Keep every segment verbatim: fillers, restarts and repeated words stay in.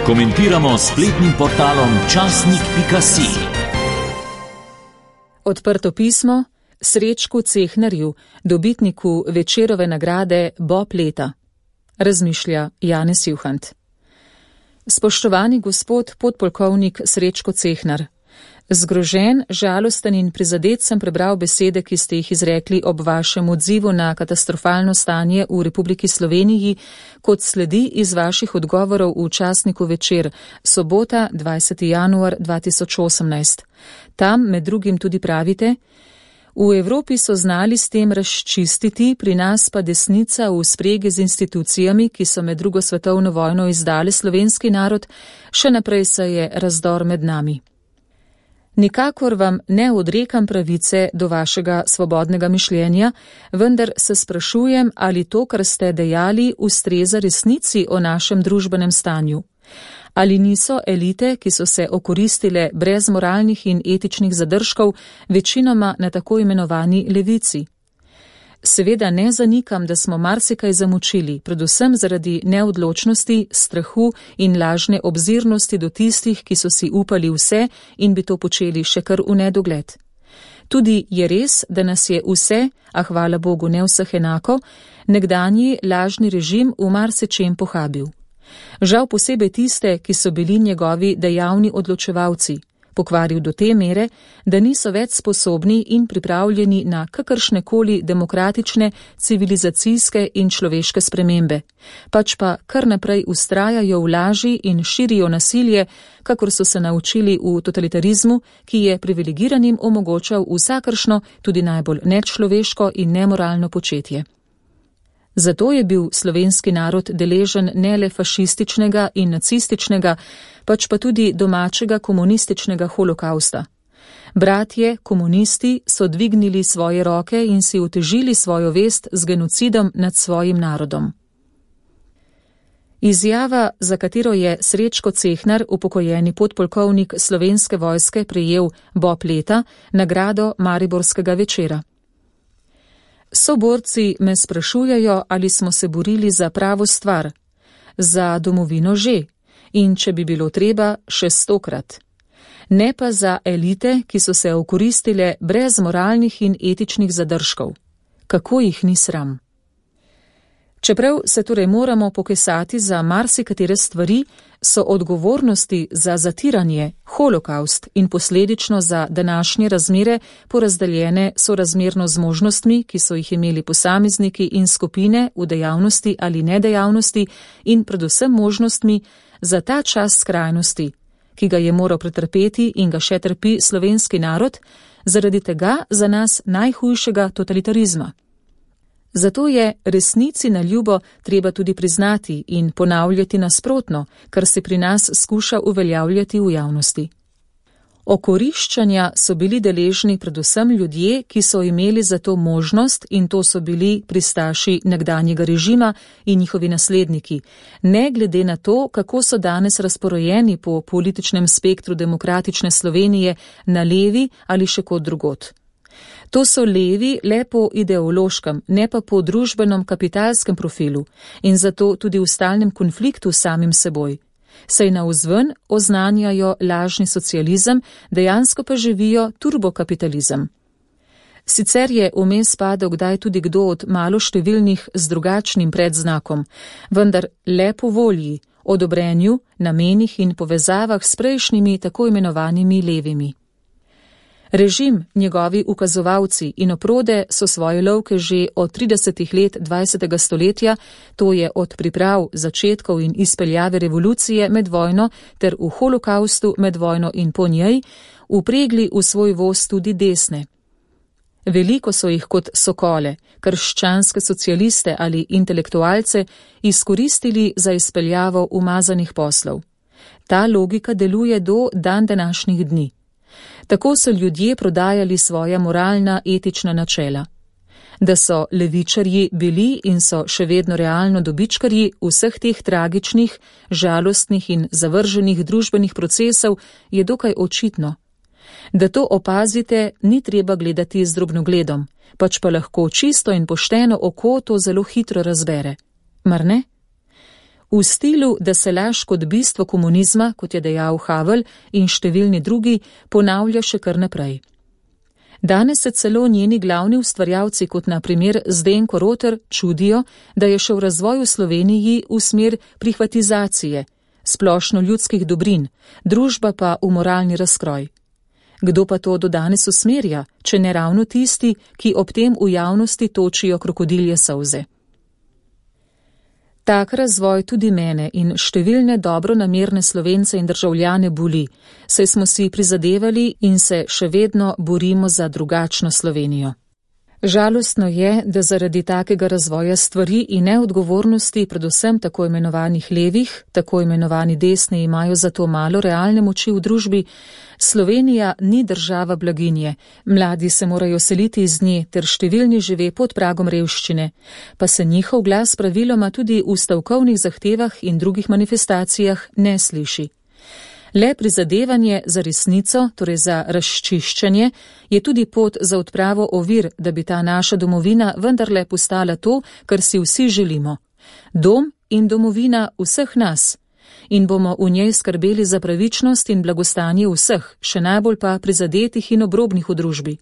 Komentiramo s spletnim portalom časnik pika si. Odprto pismo Srečku Cehnarju, dobitniku Večerove nagrade Bob leta. Razmišlja Janez Juhant. Spoštovani gospod podpolkovnik Srečko Cehnar, zgrožen, žalosten in prizadet sem prebral besede, ki ste jih izrekli ob vašem odzivu na katastrofalno stanje v Republiki Sloveniji, kot sledi iz vaših odgovorov v časniku Večer, sobota, dvajseti januar dva tisoč osemnajst. Tam med drugim tudi pravite: v Evropi so znali s tem razčistiti, pri nas pa desnica v spregi z institucijami, ki so med drugo svetovno vojno izdale slovenski narod, še naprej se je razdor med nami. Nikakor vam ne odrekam pravice do vašega svobodnega mišljenja, vendar se sprašujem, ali to, kar ste dejali, ustreza resnici o našem družbenem stanju. Ali niso elite, ki so se okoristile brez moralnih in etičnih zadržkov, večinoma na tako imenovani levici? Seveda ne zanikam, da smo marsikaj zamučili, predvsem zaradi neodločnosti, strahu in lažne obzirnosti do tistih, ki so si upali vse in bi to počeli še kar v nedogled. Tudi je res, da nas je vse, a hvala Bogu ne vseh enako, nekdanji lažni režim v marsičem pohabil. Žal posebej tiste, ki so bili njegovi dejavni odločevalci, pokvaril do te mere, da niso več sposobni in pripravljeni na kakršnekoli demokratične, civilizacijske in človeške spremembe, pač pa kar naprej vztrajajo v laži in širijo nasilje, kakor so se naučili v totalitarizmu, ki je privilegiranim omogočal vsakršno, tudi najbolj nečloveško in nemoralno početje. Zato je bil slovenski narod deležen ne le fašističnega in nacističnega, pač pa tudi domačega komunističnega holokausta. Bratje, komunisti, so dvignili svoje roke in si utežili svojo vest z genocidom nad svojim narodom. Izjava, za katero je Srečko Cehnar, upokojeni podpolkovnik Slovenske vojske, prejel Bob leta, nagrado Mariborskega Večera. Soborci me sprašujejo, ali smo se borili za pravo stvar, za domovino že, in če bi bilo treba, še stokrat. Ne pa za elite, ki so se okoristile brez moralnih in etičnih zadržkov. Kako jih ni sram? Čeprav se torej moramo pokesati za marsikatere stvari, so odgovornosti za zatiranje, holokaust in posledično za današnje razmere porazdeljene sorazmerno z možnostmi, ki so jih imeli posamezniki in skupine v dejavnosti ali nedejavnosti in predvsem možnostmi za ta čas skrajnosti, ki ga je moral pretrpeti in ga še trpi slovenski narod, zaradi tega za nas najhujšega totalitarizma. Zato je resnici na ljubo treba tudi priznati in ponavljati nasprotno, kar se pri nas skuša uveljavljati v javnosti. Okoriščanja so bili deležni predvsem ljudje, ki so imeli za to možnost, in to so bili pristaši nekdanjega režima in njihovi nasledniki, ne glede na to, kako so danes razporojeni po političnem spektru demokratične Slovenije na levi ali še kot drugot. To so levi le po ideološkem, ne pa po družbenem kapitalskem profilu in zato tudi v stalnem konfliktu s samim seboj. Saj navzven oznanjajo lažni socializem, dejansko pa živijo turbokapitalizem. Sicer je vmes padel kdaj tudi kdo od maloštevilnih z drugačnim predznakom, vendar le po volji, odobrenju, namenih in povezavah s prejšnjimi tako imenovanimi levimi. Režim, njegovi ukazovalci in oprode so svoje lovke že od tridesetih let dvajsetega stoletja, to je od priprav, začetkov in izpeljave revolucije med vojno ter v holokaustu med vojno in po njej, upregli v svoj voz tudi desne. Veliko so jih kot sokole, krščanske socialiste ali intelektualce izkoristili za izpeljavo umazanih poslov. Ta logika deluje do dan današnjih dni. Tako so ljudje prodajali svoja moralna, etična načela. Da so levičarji bili in so še vedno realno dobičkarji vseh teh tragičnih, žalostnih in zavrženih družbenih procesov, je dokaj očitno. Da to opazite, ni treba gledati z drobnogledom, pač pa lahko čisto in pošteno oko to zelo hitro razbere. Mar ne? v stilu, da se laž kot bistvo komunizma, kot je dejal Havel in številni drugi, ponavlja še kar naprej. Danes se celo njeni glavni ustvarjalci, kot na primer Zdenko Roter, čudijo, da je šel razvoj v Sloveniji v smer prihvatizacije, splošno ljudskih dobrin, družba pa v moralni razkroj. Kdo pa to do danes usmerja, če ne ravno tisti, ki ob tem v javnosti točijo krokodilje solze? Tak razvoj tudi mene in številne dobronamerne Slovence in državljane boli, saj smo si prizadevali in se še vedno borimo za drugačno Slovenijo. Žalostno je, da zaradi takega razvoja stvari in neodgovornosti, predvsem tako imenovanih levih, tako imenovani desni imajo zato malo realne moči v družbi, Slovenija ni država blaginje, mladi se morajo seliti iz nje ter številni žive pod pragom revščine, pa se njihov glas praviloma tudi v stavkovnih zahtevah in drugih manifestacijah ne sliši. Le prizadevanje za resnico, torej za razčiščenje, je tudi pot za odpravo ovir, da bi ta naša domovina vendarle postala to, kar si vsi želimo. Dom in domovina vseh nas. In bomo v njej skrbeli za pravičnost in blagostanje vseh, še najbolj pa prizadetih in obrobnih v družbi.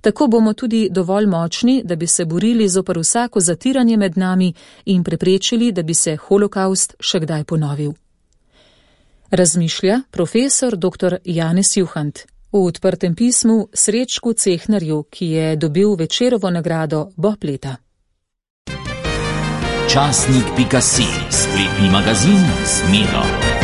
Tako bomo tudi dovolj močni, da bi se borili zoper vsako zatiranje med nami in preprečili, da bi se holokaust še kdaj ponovil. Razmišlja profesor doktor Janez Juhant v odprtem pismu Srečku Cehnarju, ki je dobil Večerovo nagrado Bob leta. Časnik pika si, spletni magazin z Miro.